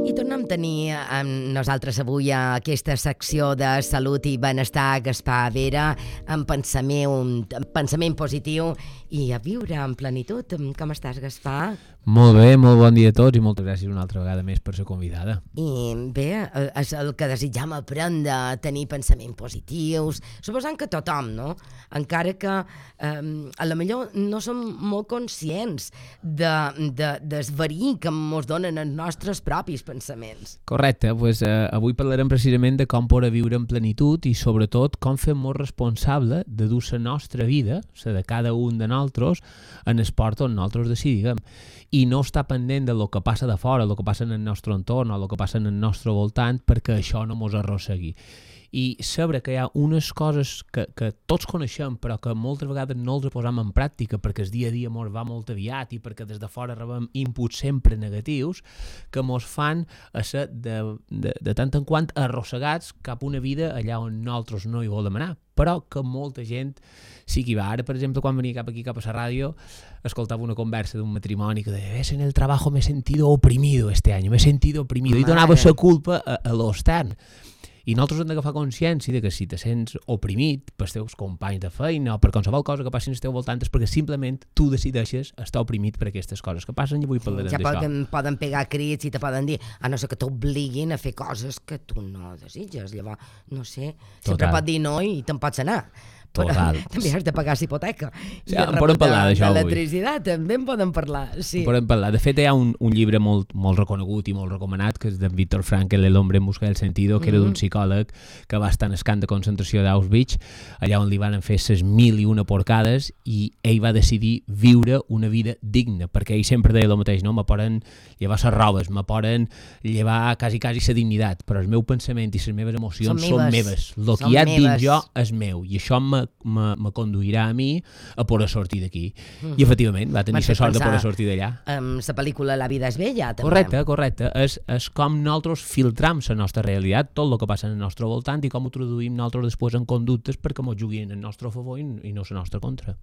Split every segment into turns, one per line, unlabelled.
I tornem a tenir amb nosaltres avui a aquesta secció de salut i benestar Gaspar Vera, amb pensament positiu i a viure en plenitud. Com estàs, Gaspar?
Molt bé, molt bon dia a tots i moltes gràcies una altra vegada més per ser convidada.
I bé, és el que desitjam aprendre, a tenir pensaments positius, suposant que tothom, no? Encara que a la millor no som molt conscients del verí que ens donen els nostres propis pensaments.
Correcte, doncs avui parlarem precisament de com poder viure en plenitud i sobretot com fer molt responsable de dur la nostra vida, la de cada un de nosaltres, en esport on nosaltres decidim. I no estar pendent del que passa de fora, el que passa en el nostre entorn o el que passa en el nostre voltant perquè això no mos arrossegui. I saber que hi ha unes coses que tots coneixem però que moltes vegades no els posem en pràctica perquè el dia a dia mos va molt aviat i perquè des de fora rebem inputs sempre negatius que mos fan a ser de tant en quant arrossegats cap a una vida allà on nosaltres no hi volem anar, però que molta gent sí que hi va. Ara, per exemple, quan venia cap a la ràdio, escoltava una conversa d'un matrimoni que deia, en el trabajo me he sentido oprimido este año, me he sentido oprimido, i donava la culpa a l'extern. I nosaltres hem d'agafar consciència de que si te sents oprimit pels teus companys de feina o per qualsevol cosa que passi al teu voltant és perquè simplement tu decideixes estar oprimit per aquestes coses que passen i avui parlarem d'això.
Ja poden pegar crits i te poden dir, a no ser que t'obliguin a fer coses que tu no desitges. Llavors, no sé, sempre pot dir no i te'n pots anar.
Total.
També has de pagar la hipoteca.
Sí, en podem parlar d'això avui.
L'electricitat també en podem parlar, sí.
En podem parlar. De fet, hi ha un llibre molt reconegut i molt recomanat, que és d'en Viktor Frankl, El hombre en busca del sentido, que era d'un psicòleg que va estar en el camp de concentració d'Auschwitz, allà on li van fer ses 1001 porcades, i ell va decidir viure una vida digna, perquè ell sempre deia el mateix, no? Me poden llevar les robes, me poden llevar quasi la dignitat, però el meu pensament i les meves emocions són meves. El que hi ha dins jo és meu, i això me conduirà a mi a poder sortir d'aquí. I efectivament va tenir la sort de poder sortir d'allà.
La pel·lícula La vida és bella, també.
Correcte. És com nosaltres filtram la nostra realitat, tot el que passa en el nostre voltant i com ho traduïm nosaltres després en conductes perquè m'ho juguin en el nostre favor i no la nostra contra.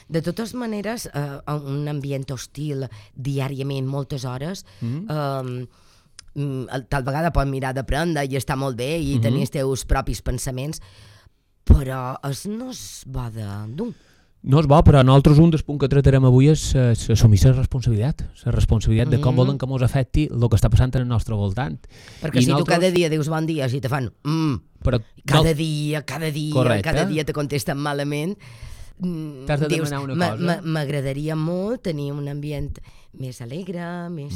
De totes maneres, un ambient hostil diàriament, moltes hores, tal vegada pots mirar d'aprendre i està molt bé i tenir els teus propis pensaments, però no és bo de dur.
No és bo, però nosaltres un dels punts que tractarem avui és assumir la responsabilitat de com volen que ens afecti el que està passant en el nostre voltant.
Perquè si tu cada dia dius bon dia i te fan cada dia te contesten malament,
t'has de demanar una cosa.
M'agradaria molt tenir un ambient més alegre, més...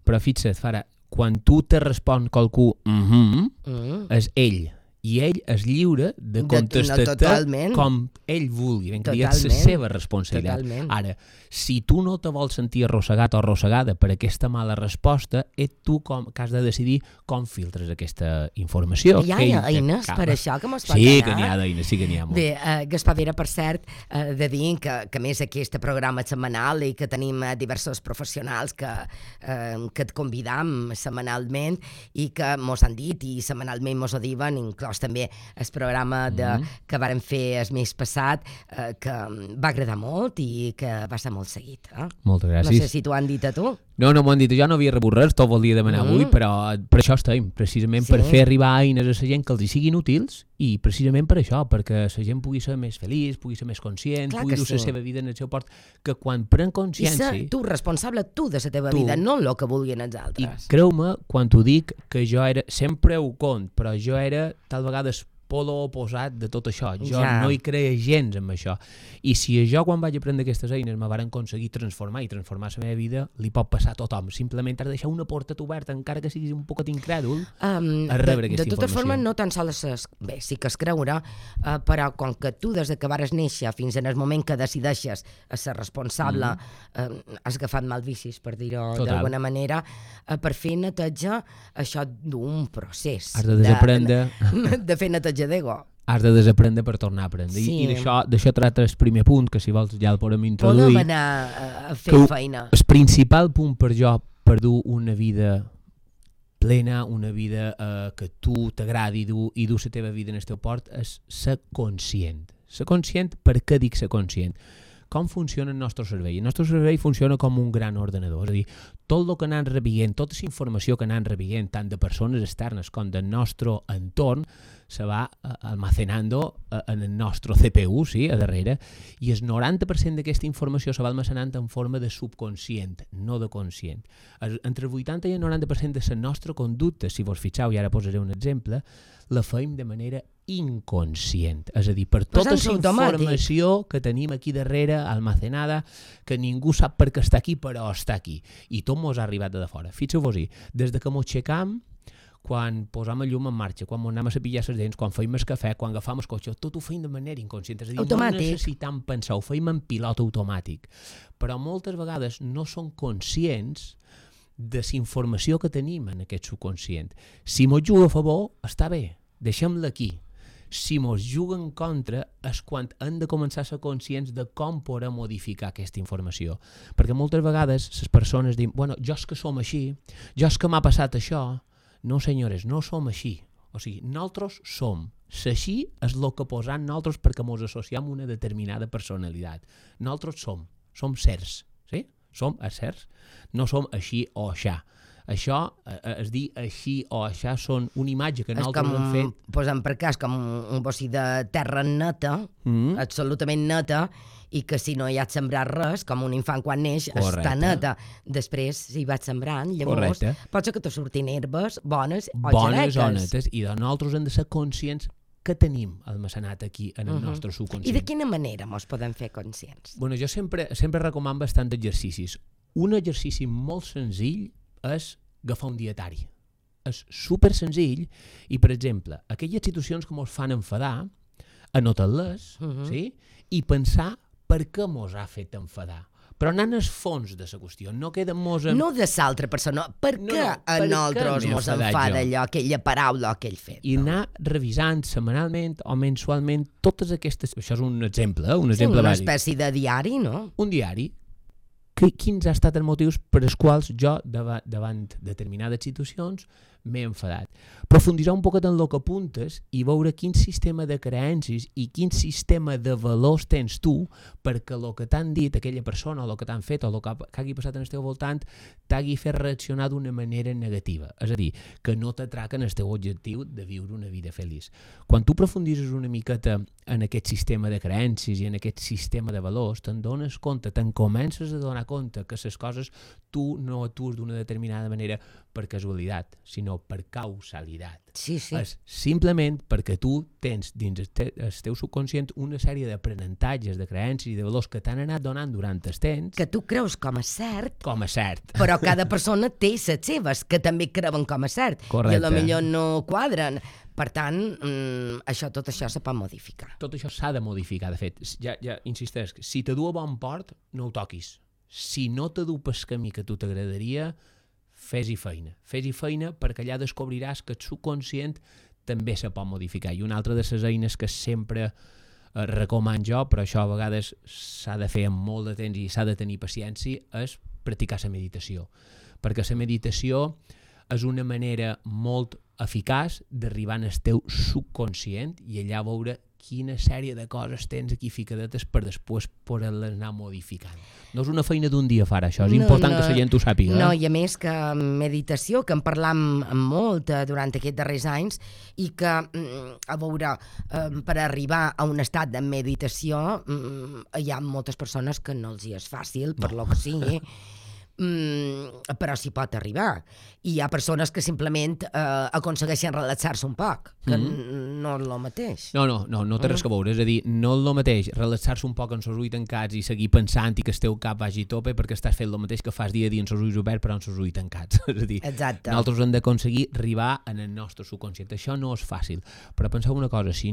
Però fixa't, Fara, quan tu te respon qualcú és ell, i ell és lliure de contestar-te com ell vulgui, ben que és la seva responsabilitat. Ara, si tu no te vols sentir arrossegat o arrossegada per aquesta mala resposta, ets tu que has de decidir com filtres aquesta informació.
Hi ha eines per això que mos pot anar?
Sí que n'hi ha d'eines, sí que n'hi ha molt.
Bé, Gaspar Vera, per cert, de dir que més aquest programa setmanal i que tenim diversos professionals que et convidam setmanalment i que mos han dit i setmanalment mos ho diuen, inclòs també el programa que vàrem fer el mes passat, que va agradar molt i que va ser molt seguit.
Moltes gràcies.
No sé si t'ho han dit a tu.
No m'ho han dit, jo no havia rebut res, t'ho volia demanar avui, però per això estem, precisament per fer arribar eines a la gent que els hi siguin útils i precisament per això, perquè la gent pugui ser més feliç, pugui ser més conscient, pugui dur la seva vida en el seu port, que quan pren consciència...
I ser tu responsable tu de la teva vida, no el que vulguin els altres.
I creu-me quan t'ho dic que jo era, sempre ho cont, però jo era tal vegades polo oposat de tot això. Jo no hi creia gens amb això. I si jo, quan vaig aprendre aquestes eines, me varen aconseguir transformar la meva vida, li pot passar a tothom. Simplement has de deixar una porta oberta, encara que siguis un poquet incrèdul, a rebre aquesta informació.
De totes formes, no tan sols bé, sí que es creure, però com que tu des que vares néixer fins en el moment que decideixes ser responsable, has agafat mal vicis, per dir-ho d'alguna manera, per fer neteja, això d'un procés.
Has de desaprendre.
De fer neteja d'ego.
Has de desaprendre per tornar a aprendre. I d'això tracta el primer punt, que si vols ja el podem introduir.
Podem anar a fer feina.
El principal punt per jo, per dur una vida plena, una vida que tu t'agradi i dur la teva vida en el teu port, és ser conscient. Ser conscient, per què dic ser conscient? com funciona el nostre cervell. El nostre cervell funciona com un gran ordenador, és a dir, tot el que anem rebent, tota la informació que anem rebent, tant de persones externes com del nostre entorn, se va almacenando en el nostre CPU, sí, a darrere, i el 90% d'aquesta informació se va almacenant en forma de subconscient, no de conscient. Entre el 80 i el 90% de la nostra conducta, si vos fixeu, i ara posaré un exemple, la feim de manera inconscient. És a dir, per tota la informació que tenim aquí darrere, almacenada, que ningú sap per què està aquí, però està aquí. I tot mos ha arribat de fora. Fixeu-vos-hi, des de que mos aixecam, quan posam el llum en marxa, quan anem a cepillar les dents, quan feim el cafè, quan agafam el cotxe, tot ho feim de manera inconscient. És a dir, no necessitam pensar, ho feim en pilot automàtic. Però moltes vegades no som conscients de la informació que tenim en aquest subconscient. Si mos juga a favor, està bé, deixem-la aquí. Si mos juga en contra és quan hem de començar a ser conscients de com podem modificar aquesta informació. Perquè moltes vegades les persones diuen, bueno, jo és que som així, jo és que m'ha passat això. No, senyores, no som així. O sigui, nosaltres som. L'així és el que posam nosaltres perquè ens associem a una determinada personalitat. Nosaltres som certs, sí? Som certs. No som així o aixà. Això, es dir així o aixà, són una imatge que nosaltres hem fet.
Posem per cas com un bossi de terra neta, absolutament neta, i que si no hi ha sembrat res, com un infant quan neix, està neta. Després, si vaig sembrant, llavors, pot ser que te surtin herbes bones o
bones o netes, i de nosaltres hem de ser conscients que tenim almacenat aquí en el nostre subconscient.
I de quina manera ens podem fer conscients?
Bueno, jo sempre recomano bastant exercicis. Un exercici molt senzill és agafar un dietari. És super senzill i, per exemple, aquelles situacions que ens fan enfadar, anotar-les, sí? I pensar per què ens ha fet enfadar. Però anant al fons de la qüestió, no queda mos...
No de l'altra persona, per què a nosaltres mos enfada allò, aquella paraula o aquell fet?
I anar revisant setmanalment o mensualment totes aquestes... Això és un exemple, un exemple
bàsic. Una espècie de diari, no?
Un diari. Quins han estat els motius per als quals jo, davant determinades situacions, m'he enfadat. Profunditzar un poquet en el que apuntes i veure quin sistema de creences i quin sistema de valors tens tu perquè el que t'han dit aquella persona o el que t'han fet o el que hagi passat en el teu voltant t'hagi fet reaccionar d'una manera negativa. És a dir, que no t'atraquen el teu objectiu de viure una vida feliç. Quan tu profunditzes una miqueta en aquest sistema de creences i en aquest sistema de valors, te'n dones compte, te'n comences a donar compte que les coses tu no actues d'una determinada manera per casualitat, sinó per causalitat.
Sí.
És simplement perquè tu tens dins el teu subconscient una sèrie d'aprenentatges, de creences i de valors que t'han anat donant durant el temps.
Que tu creus com a cert.
Com a cert.
Però cada persona té les seves, que també creuen com a cert.
Correcte.
I potser no quadren. Per tant, tot això se pot modificar.
Tot això s'ha de modificar, de fet. Ja insisteix, si te du a bon port, no ho toquis. Si no te du pel camí que a tu t'agradaria, fes-hi feina. Fes-hi feina perquè allà descobriràs que el subconscient també se pot modificar. I una altra de les eines que sempre recomano jo, però això a vegades s'ha de fer amb molt de temps i s'ha de tenir paciència, és practicar la meditació. Perquè la meditació és una manera molt eficaç d'arribar al teu subconscient i allà veure quina sèrie de coses tens aquí ficadetes per després poder-les anar modificant. No és una feina d'un dia far això, és important que la gent ho sàpiga.
No, i a més que meditació, que en parlam molt durant aquests darrers anys, i que, a veure, per arribar a un estat de meditació hi ha moltes persones que no els hi és fàcil, per lo que sigui, però s'hi pot arribar. I hi ha persones que simplement aconsegueixen relaxar-se un poc, que no és el mateix.
No té res que veure, és a dir, no és el mateix relaxar-se un poc amb els ulls tancats i seguir pensant i que el teu cap vagi a tope perquè estàs fent el mateix que fas dia a dia amb els ulls oberts però amb els ulls tancats. És a dir, nosaltres hem d'aconseguir arribar en el nostre subconscient. Això no és fàcil, però penseu una cosa, si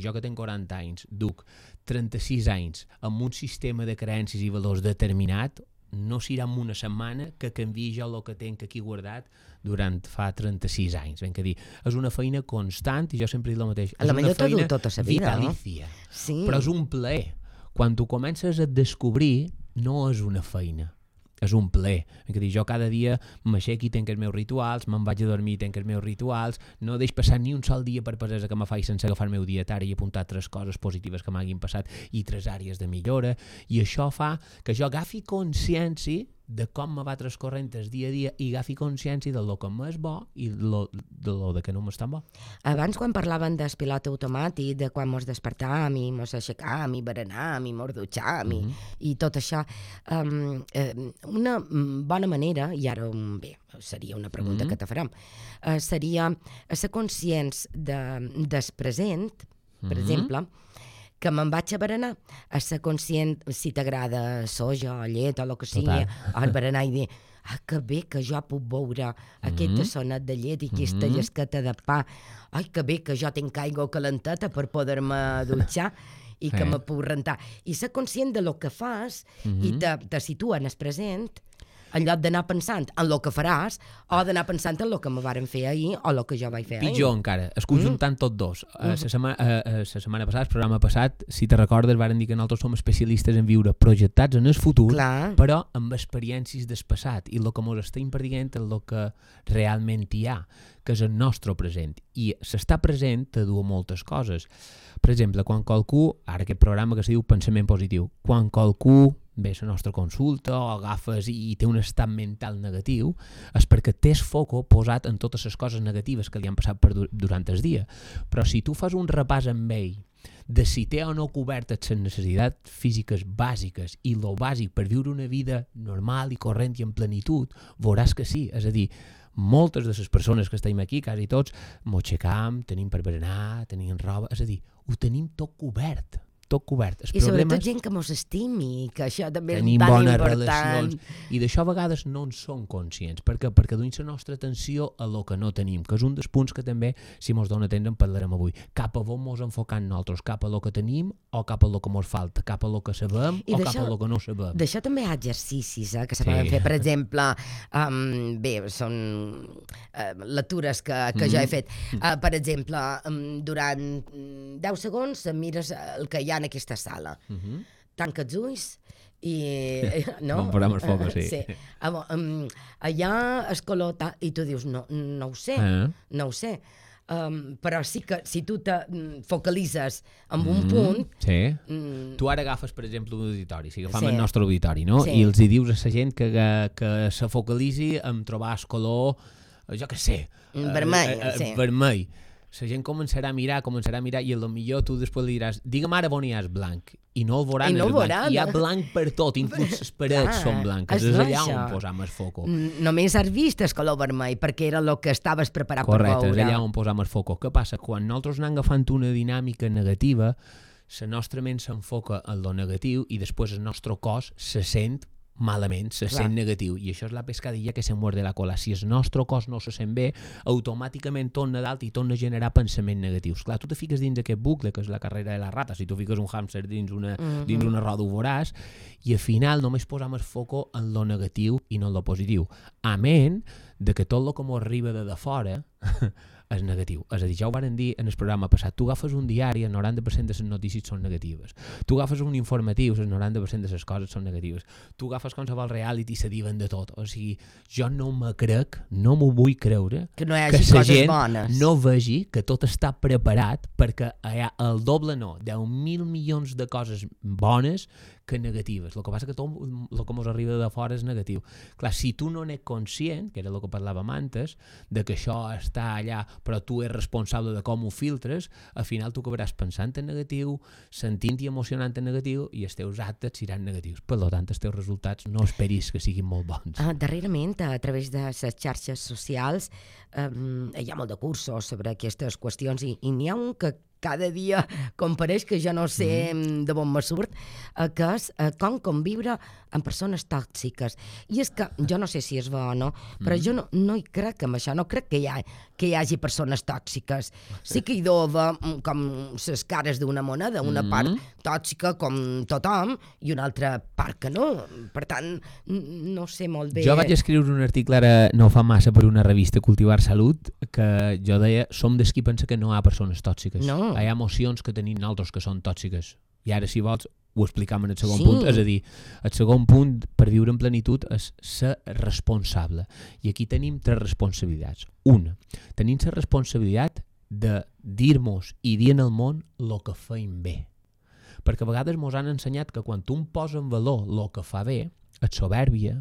jo que tinc 40 anys, duc 36 anys amb un sistema de creences i valors determinat, no serà en una setmana que canviï jo el que tenc aquí guardat durant fa 36 anys. Ben que dir, és una feina constant i jo sempre dic el mateix. És una feina
tota la vida,
vitalícia,
no? Sí.
Però és un plaer. Quan tu comences a descobrir, no és una feina. és un plaer. Jo cada dia m'aixeco i tenc els meus rituals, me'n vaig a dormir i tenc els meus rituals, no deixo passar ni un sol dia per pesesa que me faig sense agafar el meu dietari i apuntar 3 coses positives que m'hagin passat i 3 àrees de millora, i això fa que jo agafi consciència de com me va transcorrent el dia a dia i agafi consciència de lo que m'és bo i de lo que no m'és tan bo.
Abans, quan parlaven del pilot automàtic, de quan mos despertàvem i mos aixecàvem i berenàvem i mos dutxàvem i tot això, una bona manera, i ara bé, seria una pregunta que te farem, seria ser conscients del present, per exemple, que me'n vaig a berenar, a ser conscient si t'agrada soja o llet o el que sigui, al berenar i dir que bé que jo puc beure aquest tassonet de llet i aquesta llesqueta de pa, que bé que jo tinc aigua calenteta per poder-me dutxar i que me puc rentar. I ser conscient de lo que fas i te situa en el present, en lloc d'anar pensant en el que faràs o d'anar pensant en el que me varen fer ahir o el que jo vaig fer ahir.
Pitjor encara, es conjuntant tot dos. La setmana passada, el programa passat, si te recordes, varen dir que nosaltres som especialistes en viure projectats en el futur, però amb experiències del passat, i el que ens estem perdent és el que realment hi ha, que és el nostre present. I s'està present te du a moltes coses. Per exemple, quan qualcú, ara aquest programa que se diu Pensament Positiu, quan qualcú ve a la nostra consulta o agafes i té un estat mental negatiu, és perquè tens foco posat en totes les coses negatives que li han passat durant el dia. Però si tu fas un repàs amb ell de si té o no cobertes les necessitats físiques bàsiques i lo bàsic per viure una vida normal i corrent i en plenitud, veuràs que sí. És a dir, moltes de les persones que estem aquí, quasi tots, mos aixecam, tenim per berenar, tenim roba, és a dir, ho tenim tot cobert.
I sobretot gent que mos estimi, que això també és tan
bones
important.
Relacions, i d'això a vegades no en som conscients, perquè duim la nostra atenció a lo que no tenim, que és un dels punts que també, si mos dona temps, en parlarem avui. Cap a on mos enfocant nosaltres, cap a lo que tenim o cap a lo que mos falta, cap a lo que sabem o cap a lo que no sabem.
D'això també hi ha exercicis que se poden fer. Per exemple, són lectures que jo he fet. Per exemple, durant 10 segons mires el que hi ha en aquesta sala. Tanca els ulls i...
Bon programa el foc, sí.
Allà es color... I tu dius, no ho sé, no ho sé. Però sí que si tu te focalitzes en un punt...
Tu ara agafes, per exemple, un auditori, si agafam el nostre auditori, no? I els hi dius a la gent que se focalitzi en trobar el color, jo què sé... Vermell. La gent començarà a mirar i potser tu després li diràs digue'm ara on hi ha el blanc, i no el veuran el blanc. Hi ha blanc per tot, inclús les parets són blanques, és allà on posam el foco.
Només has vist el color vermell perquè era el que estaves preparat per veure.
Correcte, és allà on posam el foco. Què passa? Quan nosaltres anem agafant una dinàmica negativa, la nostra ment s'enfoca en lo negatiu i després el nostre cos se sent malament, se sent negatiu, i això és la pescadilla que se muerde la cola. Si el nostre cos no se sent bé, automàticament torna dalt i torna a generar pensaments negatius. Clar, tu te fiques dins aquest bucle, que és la carrera de la rata, si tu fiques un hàmster dins una roda ho veuràs, i al final només posam el foco en lo negatiu i no en lo positiu. Amén de que tot el que ens arriba de fora és negatiu. És a dir, ja ho varen dir en el programa passat, tu agafes un diari, el 90% de les notícies són negatives. Tu agafes un informatiu, el 90% de les coses són negatives. Tu agafes qualsevol reality i se diuen de tot. O sigui, jo no m'ho vull creure
que no hi hagi coses bones.
No vegi que tot està preparat perquè hi ha el doble 10.000 milions de coses bones que negatives. El que passa que tot el que ens arriba de fora és negatiu. Clar, si tu no n'ets conscient, que era el que parlàvem antes, de que això està allà, però tu ets responsable de com ho filtres, al final tu acabaràs pensant en negatiu, sentint i emocionant en negatiu, i els teus actes seran negatius. Per tant, els teus resultats no esperis que siguin molt bons.
Darrerament, a través de les xarxes socials, hi ha molt de cursos sobre aquestes qüestions i n'hi ha un que cada dia compareix, que jo no sé de on me surt, que és com conviure amb persones tòxiques. I és que, jo no sé si és bo o no, però jo no hi crec en això, no crec que hi hagi persones tòxiques. Sí que hi dova com les cares d'una moneda, una part tòxica com tothom i una altra part que no. Per tant, no sé molt bé.
Jo vaig escriure un article ara no fa massa per una revista, Cultivar Salut, que jo deia, som dels qui pensa que no hi ha persones tòxiques.
No.
Hi ha emocions que tenim nosaltres que són tòxiques. I ara, si vols, ho explicam en el segon punt, és a dir, el segon punt per viure en plenitud és ser responsable. I aquí tenim 3 responsabilitats. Una, tenim la responsabilitat de dir-nos i dir en el món el que feim bé. Perquè a vegades ens han ensenyat que quan tu em poses en valor el que fa bé, és soberbia,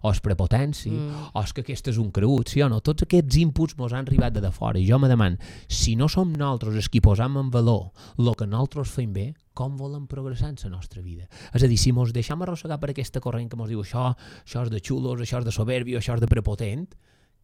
o és prepotència, o és que aquest és un cregut, sí o no? Tots aquests inputs ens han arribat de fora, i jo me demano, si no som nosaltres els qui posam en valor el que nosaltres fem bé, com volem progressar en la nostra vida? És a dir, si ens deixem arrossegar per aquesta corrent que ens diu això és de xulos, això és de soberbia, això és de prepotent,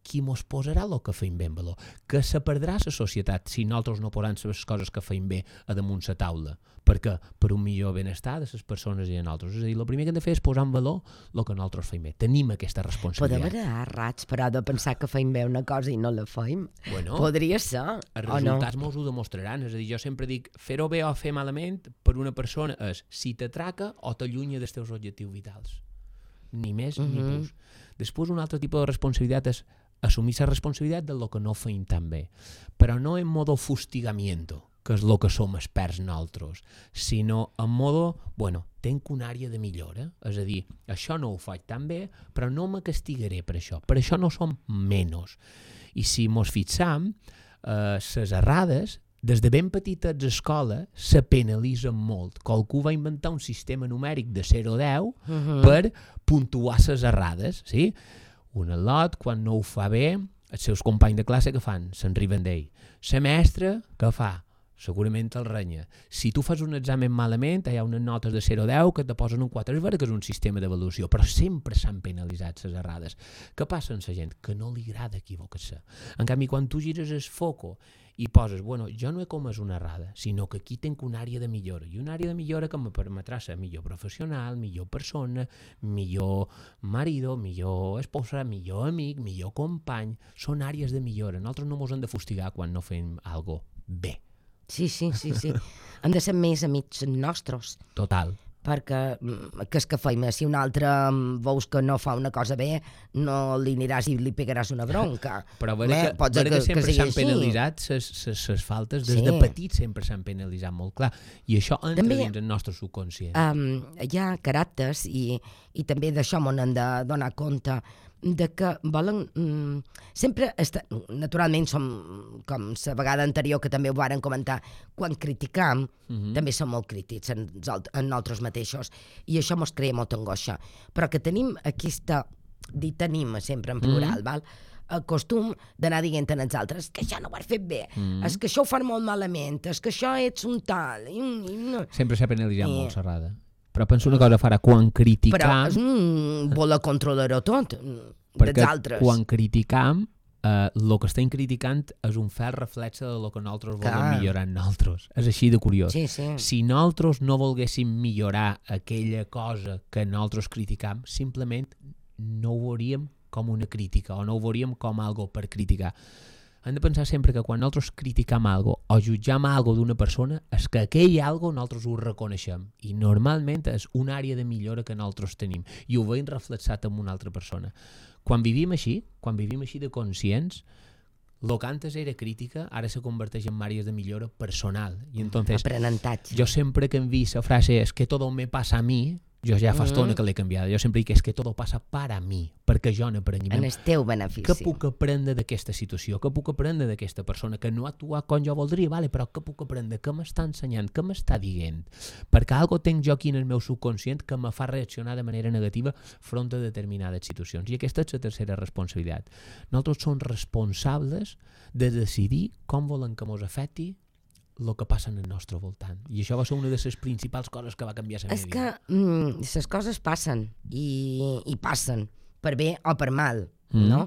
qui ens posarà el que fem bé en valor? Que se perdrà la societat si nosaltres no posem les coses que fem bé a damunt la taula. Perquè per un millor benestar de les persones i de nosaltres. És a dir, el primer que hem de fer és posar en valor el que nosaltres fem bé. Tenim aquesta responsabilitat.
Podem anar rats, però de pensar que fem bé una cosa i no la fem.
Bueno,
podria ser,
els
o no?
resultats mos ho demostraran. És a dir, jo sempre dic, fer-ho bé o fer malament per una persona és si t'atraca o t'allunya dels teus objectius vitals. Ni més ni plus. Després, un altre tipus de responsabilitat és assumir la responsabilitat del que no feim tan bé. Però no en modo fustigamiento, que és el que som experts nosaltres, sinó en modo, bueno, tenc una àrea de millora, és a dir, això no ho faig tan bé, però no me castigaré per això no som menys. I si mos fixam, les errades, des de ben petites a escola, se penalitzen molt. Qualcú va inventar un sistema numèric de 0 a 10 per puntuar les errades, sí? Un al·lot, quan no ho fa bé, els seus companys de classe que fan? Se'n riben d'ell. La mestra, què fa? Segurament el renya. Si tu fas un examen malament, hi ha unes notes de 0 a 10 que te posen un 4. És vera que és un sistema d'avaluació, però sempre s'han penalitzat les errades. Què passa amb la gent? Que no li agrada equivocar-se. En canvi, quan tu gires el foco i poses, bueno, jo no he comès una errada, sinó que aquí tinc una àrea de millora, i una àrea de millora que em permetrà ser millor professional, millor persona, millor marido, millor esposa, millor amic, millor company. Són àrees de millora. Nosaltres no ens hem de fustigar quan no fem alguna cosa bé.
Sí. Hem de ser més amics nostres.
Total.
Perquè que és que feim, si un altre veus que no fa una cosa bé, no li aniràs i li pegaràs una bronca.
Però que sempre s'han penalitzat les faltes, des de petits sempre s'han penalitzat molt clar, i això entra dins el nostre subconscient.
Hi ha caràcters i també d'això m'ho hem de donar compte, de que volen sempre naturalment som com la vegada anterior que també ho varen comentar, quan criticam també som molt crítics en nosaltres mateixos i això mos crea molta angoixa, però que tenim aquesta, tenim sempre en plural, val? El costum d'anar dient als altres que això no ho has fet bé, és que això ho fan molt malament, és que això ets un tal.
Sempre s'ha penalitzat molt serrada. Però penso una cosa, Farah, quan criticam...
Però voler controlar-ho tot,
dels
altres.
Perquè quan criticam, el que estem criticant és un fel reflexe del que nosaltres volem millorar en nosaltres. És així de curiós.
Sí.
Si nosaltres no volguéssim millorar aquella cosa que nosaltres criticam, simplement no ho veuríem com una crítica o no ho veuríem com algo per criticar. Hem de pensar sempre que quan nosaltres criticam algo o jutjam algo d'una persona és que aquell algo nosaltres ho reconeixem i normalment és una àrea de millora que nosaltres tenim i ho veiem reflexat en una altra persona. Quan vivim així de conscients, el que antes era crítica ara se converteix en àrees de millora personal. I entonces,
aprenentatge.
Jo sempre que em vist la frase és que todo me pasa a mi, jo ja fa estona que l'he canviada. Jo sempre dic que és que tot passa per a mi, perquè jo n'aprengui.
En el teu benefici.
Què puc aprendre d'aquesta situació? Què puc aprendre d'aquesta persona que no actua com jo voldria? Vale, però què puc aprendre? Què m'està ensenyant? Què m'està dient? Perquè algo tinc jo aquí en el meu subconscient que me fa reaccionar de manera negativa front a determinades situacions. I aquesta és la tercera responsabilitat. Nosaltres som responsables de decidir com volen que ens afecti el que passa en el nostre voltant. I això va ser una de les principals coses que va canviar la meva vida.
És que les coses passen i passen per bé o per mal, no?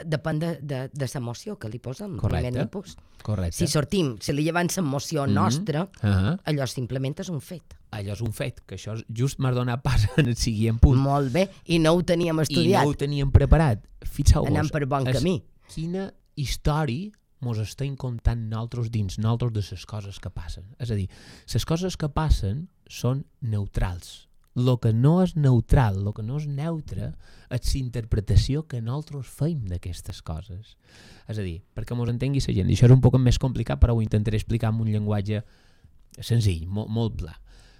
Depèn de l'emoció que li posem.
Correcte.
Si sortim, si li llevem l'emoció nostra, allò simplement és un fet.
Allò és un fet, que això just m'ha donat pas en el següent punt.
Molt bé, i no ho teníem estudiat.
I no ho teníem preparat. Fixeu-vos.
Anem per bon camí.
Quina història mos estem contant nosaltres dins nosaltres de les coses que passen. És a dir, les coses que passen són neutrals. El que no és neutral, el que no és neutre, és l'interpretació que nosaltres fem d'aquestes coses. És a dir, perquè mos entengui la gent, i això és un poc més complicat, però ho intentaré explicar amb un llenguatge senzill, molt pla.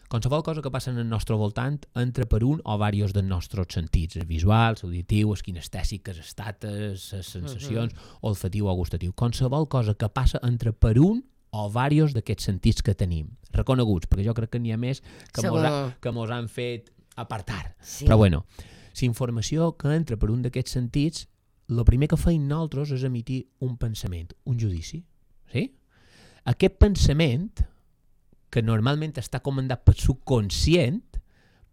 Qualsevol cosa que passa en el nostre voltant entra per un o diversos dels nostres sentits, el visual, l'auditiu, el kinestèsic, les estates, les sensacions, olfatiu o gustatiu. Qualsevol cosa que passa entra per un o diversos d'aquests sentits que tenim, reconeguts, perquè jo crec que n'hi ha més que mos han fet apartar. Sí. Però bueno, la informació que entra per un d'aquests sentits, el primer que feim nosaltres és emitir un pensament, un judici. Sí? Aquest pensament, que normalment està comandat pel subconscient,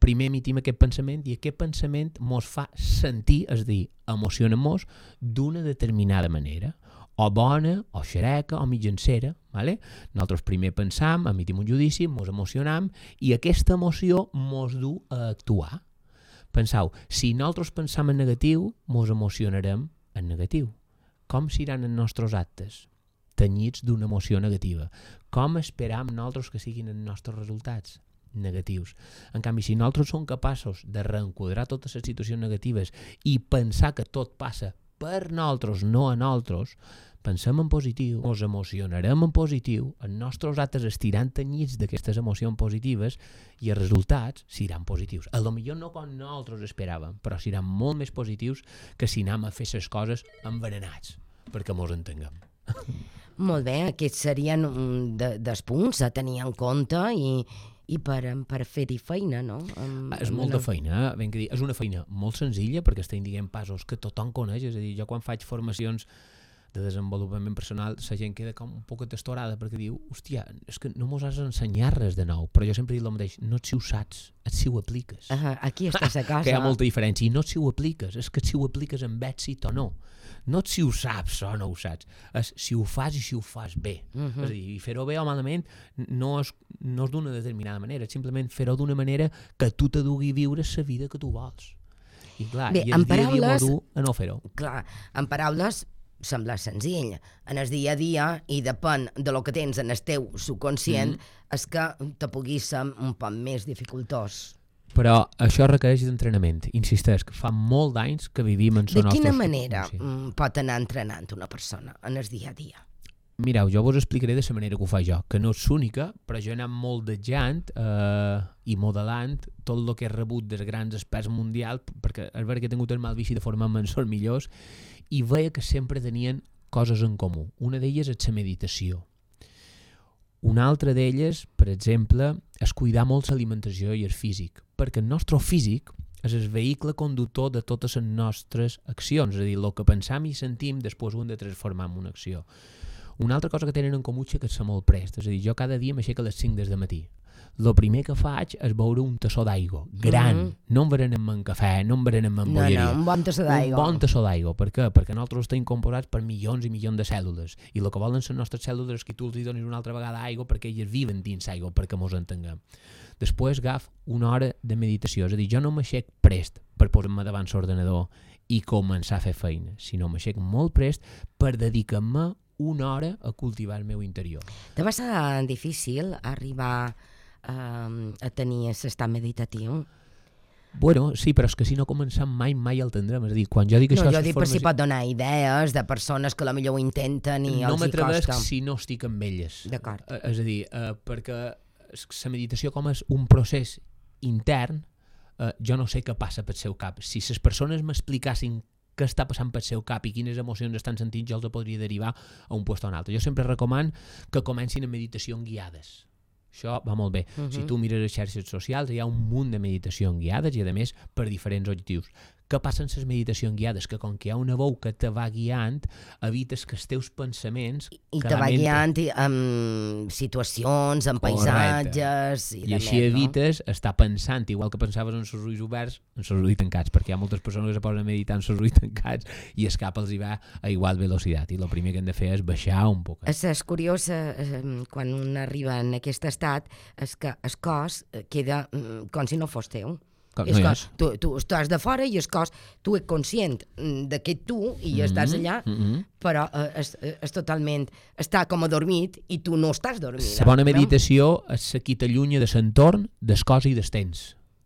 primer emitim aquest pensament i aquest pensament mos fa sentir, és a dir, emociona-mos d'una determinada manera, o bona, o xereca, o mitjancera. Vale? Nosaltres primer pensam, emitim un judici, mos emocionam i aquesta emoció mos du a actuar. Penseu, si nosaltres pensam en negatiu, mos emocionarem en negatiu. Com seran els nostres actes? Tenyits d'una emoció negativa. Com esperam nosaltres que siguin els nostres resultats? Negatius. En canvi, si nosaltres som capaços de reenquadrar totes les situacions negatives i pensar que tot passa per nosaltres, no a nosaltres, pensem en positiu, ens emocionarem en positiu, els nostres actes estiran tenyits d'aquestes emocions positives i els resultats seran positius. A lo millor no com nosaltres esperàvem, però seran molt més positius que si anem a fer les coses envenenats, perquè mos entenguem.
Molt bé, aquests serien dels punts a tenir en compte i per fer-hi feina, no?
És molta feina, ben que dir. És una feina molt senzilla perquè estem dient passos que tothom coneix, és a dir, jo quan faig formacions de desenvolupament personal, la gent queda com un poc estorada perquè diu, hòstia, és que no mos has d'ensenyar res de nou, però jo sempre dic el mateix, no si ho saps, si ho apliques.
Aquí estàs a casa.
Que hi ha molta diferència, i no si ho apliques, és que si ho apliques amb èxit o no. No si ho saps o no ho saps, és si ho fas i si ho fas bé. És a dir, fer-ho bé o malament no és d'una determinada manera, és simplement fer-ho d'una manera que tu te dugui viure la vida que tu vols. I clar, bé, i el dia a dia m'ho du a no fer-ho.
Clar, en paraules sembla senzill. En el dia a dia, i depèn de lo que tens en el teu subconscient, és que te pugui ser un poc més dificultós.
Però això requereix d'entrenament. Insisteix, que fa molt d'anys que vivim en
De quina manera pot anar entrenant una persona en el dia a dia?
Mireu, jo vos explicaré de la manera que ho faig jo, que no és única, però jo he anat moldejant i modelant tot el que he rebut dels grans experts mundials, perquè és veritat que he tingut el mal vici de formar-me en els millors, i veia que sempre tenien coses en comú. Una d'elles és la meditació. Una altra d'elles, per exemple, és cuidar molt l'alimentació i el físic, perquè el nostre físic és el vehicle conductor de totes les nostres accions, és a dir, el que pensam i sentim després ho hem de transformar en una acció. Una altra cosa que tenen en comú és que és molt prest, és a dir, jo cada dia m'aixeco a les 5 del matí. El primer que faig és beure un tassó d'aigua, gran, no em berenem en cafè, no em berenem en bolleria.
No, un bon tassó d'aigua.
Un bon tassó d'aigua, per què? Perquè nosaltres estem composats per milions i milions de cèl·lules, i el que volen les nostres cèl·lules és que tu els donis una altra vegada aigua perquè elles viven dins aigua, perquè mos entenguem. Després agaf una hora de meditació, és a dir, jo no m'aixec prest per posar-me davant l'ordenador i començar a fer feina, sinó m'aixec molt prest per dedicar-me una hora a cultivar el meu interior.
Te va ser difícil arribar a tenir l'estat meditatiu?
Bueno, sí, però és que si no començam mai el tindrem. És a dir, quan jo dic això...
No, jo dic per si pot donar idees de persones que potser ho intenten i els hi costa.
No m'atrevesc si no estic amb elles.
D'acord.
És a dir, perquè la meditació com és un procés intern, jo no sé què passa pel seu cap. Si les persones m'explicassin què està passant pel seu cap i quines emocions estan sentint, jo els podria derivar a un lloc o un altre. Jo sempre recomano que comencin amb meditacions guiades. Això va molt bé. Si tu mires les xarxes socials, hi ha un munt de meditacions guiades i, a més, per diferents objectius. Què passa en les meditacions guiades? Que com que hi ha una veu que te va guiant, evites que els teus pensaments...
I te va guiant amb situacions, amb paisatges...
I així evites estar pensant, igual que pensaves en els ulls oberts, en els ulls tancats, perquè hi ha moltes persones que se posen a meditar en els ulls tancats i el cap els hi va a igual velocitat. I el primer que hem de fer és baixar un poc.
És curiós, quan un arriba en aquest estat, és que el cos queda com si no fos teu. Tu estàs de fora i el cos, tu ets conscient que tu i estàs allà, però és totalment, està com adormit i tu no estàs dormint.
La bona meditació és la que t'allunya de l'entorn, del cos i del temps.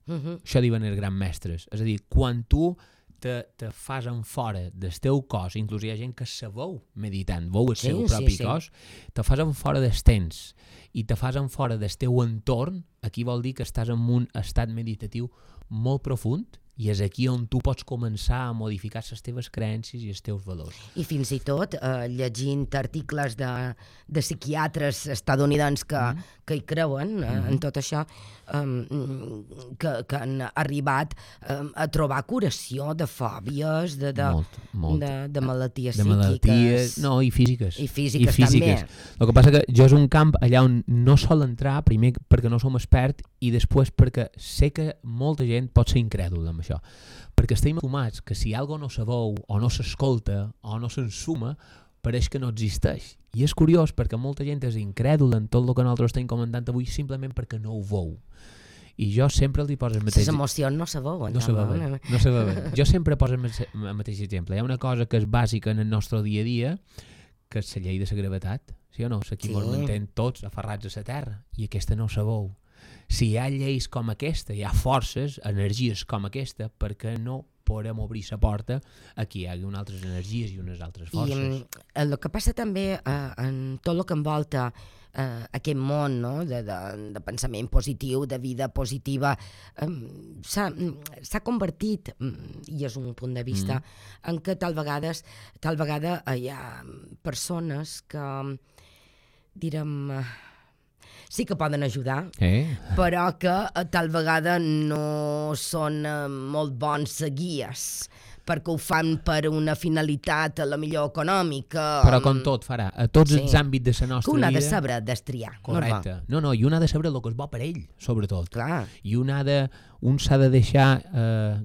Això diuen els grans mestres. És a dir, quan tu te fas en fora del teu cos, inclús hi ha gent que se veu meditant, veu el seu propi cos, te fas en fora del temps i te fas en fora del teu entorn, aquí vol dir que estàs en un estat meditatiu molt profund i és aquí on tu pots començar a modificar les teves creences i els teus valors.
I fins i tot llegint articles de psiquiatres estadounidencs que hi creuen en tot això, que han arribat a trobar curació de fòbies, de malalties psíquiques.
No, i físiques.
I físiques també.
El que passa que jo és un camp allà on no sol entrar, primer perquè no som expert i després perquè sé que molta gent pot ser incrèdula amb això. Perquè estem acostumats que si alguna no se veu o no s'escolta o no s'ensuma, pareix que no existeix. I és curiós perquè molta gent és incrèdula en tot el que nosaltres estem comentant avui simplement perquè no ho veu. I jo sempre li poso el mateix...
Les emocions no se veuen.
No se veuen. Jo sempre poso el mateix exemple. Hi ha una cosa que és bàsica en el nostre dia a dia, que és la llei de la gravetat. Sí o no? Aquí ens mantén tots aferrats a la terra i aquesta no se veu. Si hi ha lleis com aquesta, hi ha forces, energies com aquesta, perquè no podem obrir la porta a que hi hagi unes altres energies i unes altres forces.
I el que passa també en tot el que envolta aquest món, no? de pensament positiu, de vida positiva, s'ha convertit, i és un punt de vista, en que tal vegada hi ha persones que, direm... sí que poden ajudar, però que tal vegada no són molt bons guies, perquè ho fan per una finalitat a la millor econòmica.
Però com tot farà, a tots els àmbits de la nostra vida...
Que un ha de saber destriar.
Correcte. No, i un ha de saber el que és bo per ell, sobretot.
Clar.
I un s'ha de deixar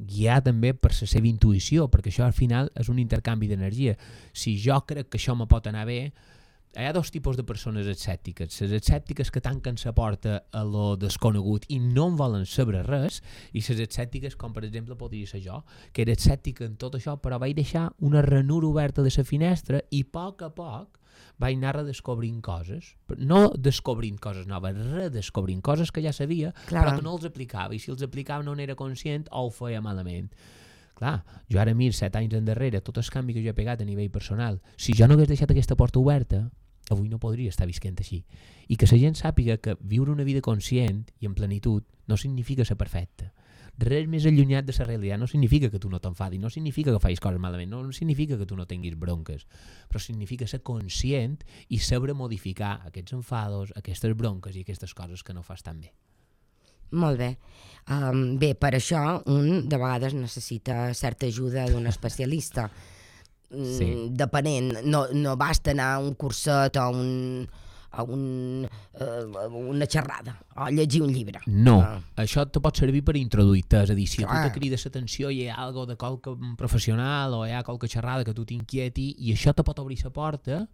guiar també per la seva intuïció, perquè això al final és un intercanvi d'energia. Si jo crec que això me pot anar bé, hi ha dos tipus de persones escèptiques. Les escèptiques que tanquen la porta a lo desconegut i no en volen saber res, i les escèptiques, com per exemple podria ser jo, que era escèptica en tot això, però vaig deixar una ranura oberta de la finestra i a poc vaig anar redescobrint coses. No descobrint coses noves, redescobrint coses que ja sabia, però que no els aplicava, i si els aplicava no n'era conscient o ho feia malament. Clar, jo ara miro 7 anys endarrere tot el canvi que jo he pegat a nivell personal. Si jo no hagués deixat aquesta porta oberta, avui no podria estar visquent així. I que la gent sàpiga que viure una vida conscient i en plenitud no significa ser perfecte. Res més allunyat de la realitat. No significa que tu no t'enfadis, no significa que facis coses malament, no significa que tu no tinguis bronques, però significa ser conscient i saber modificar aquests enfados, aquestes bronques i aquestes coses que no fas tan bé.
Molt bé. Bé, per això un de vegades necessita certa ajuda d'un especialista. Depenent, no basta anar a un curset o una xerrada o llegir un llibre.
No, això te pot servir per introduir-te, és a dir, si a tu te crida l'atenció i hi ha alguna de qualque professional o hi ha qualque xerrada que tu t'inquieti i això te pot obrir la porta,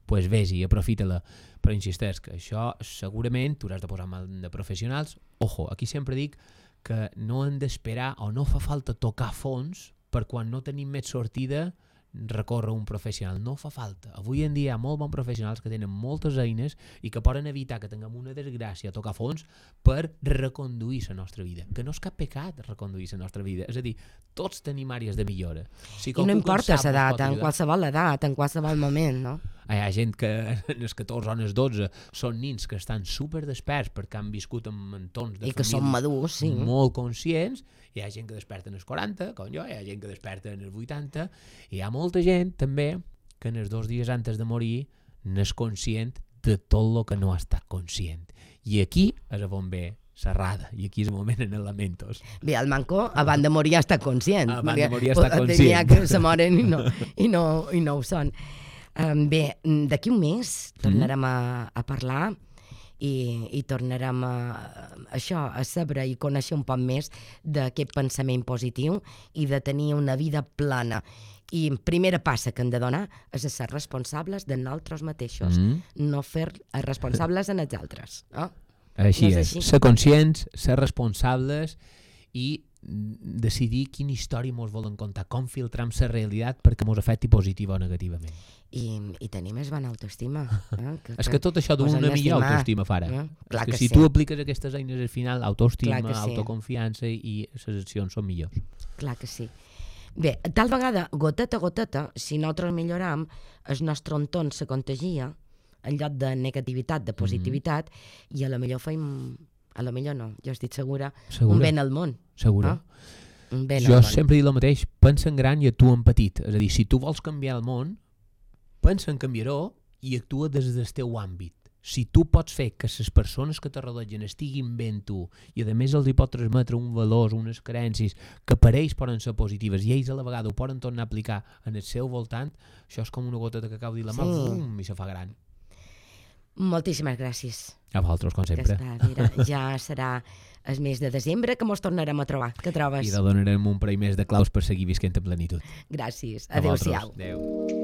doncs vés-hi, aprofita-la. Però insisteix que això segurament tu has de posar mal de professionals. Ojo, aquí sempre dic que no hem d'esperar o no fa falta tocar fons per quan no tenim més sortida recórrer un professional. No fa falta. Avui en dia hi ha molt bons professionals que tenen moltes eines i que poden evitar que tinguem una desgràcia a tocar fons per reconduir la nostra vida. Que no és cap pecat reconduir la nostra vida. És a dir, tots tenim àrees de millora.
I no importa l'edat, en qualsevol edat, en qualsevol moment, no?
Hi ha gent que en els 14 o en els 12 són nins que estan super desperts perquè han viscut en entorns de
família i que són madurs, sí,
molt conscients. Hi ha gent que desperta en els 40, com jo, hi ha gent que desperta en els 80, i hi ha molta gent també que en els 2 dies antes de morir n'és conscient de tot el que no ha estat conscient. I aquí és on ve Serrada, i aquí és el moment en els lamentos.
Bé, el manco abans de morir ja està conscient.
Abans de morir ja està conscient.
N'hi ha que se moren i no ho són. Bé, d'aquí un mes tornarem a parlar i tornarem a saber i conèixer un poc més d'aquest pensament positiu i de tenir una vida plana. I primera passa que hem de donar és ser responsables de nosaltres mateixos, no fer responsables en els altres.
Així és, ser conscients, ser responsables i decidir quina història ens volen contar, com filtram la realitat perquè ens afecti positiva o negativament.
I tenir més bona autoestima.
És que tot això d'una millor autoestima farà. És que si tu apliques aquestes eines al final, autoestima, autoconfiança i les accions són millors.
Clar que sí. Bé, tal vegada, goteta a goteta, si nosaltres milloram, el nostre entorn se contagia en lloc de negativitat, de positivitat, i a la millor feim, a la millor no, jo estic segura, un ben al món.
Segura.
Un ben
Jo
al món.
sempre dic el mateix, pensa en gran i actua en petit. És a dir, si tu vols canviar el món, pensa en canviar-ho i actua des del teu àmbit. Si tu pots fer que les persones que te rodegen estiguin bé en tu i a més els hi pot transmetre un valor, unes creences que per ells poden ser positives i ells a la vegada ho poden tornar a aplicar en el seu voltant, això és com una gota que cau dins la mà, i se fa gran.
Moltíssimes gràcies.
A vosaltres, com sempre.
Mira, ja serà el mes de desembre que mos tornarem a trobar. Què trobes?
I te donarem un parell més de claus per seguir visquent en plenitud.
Gràcies.
A vosaltres.
Adéu-siau.
Adéu.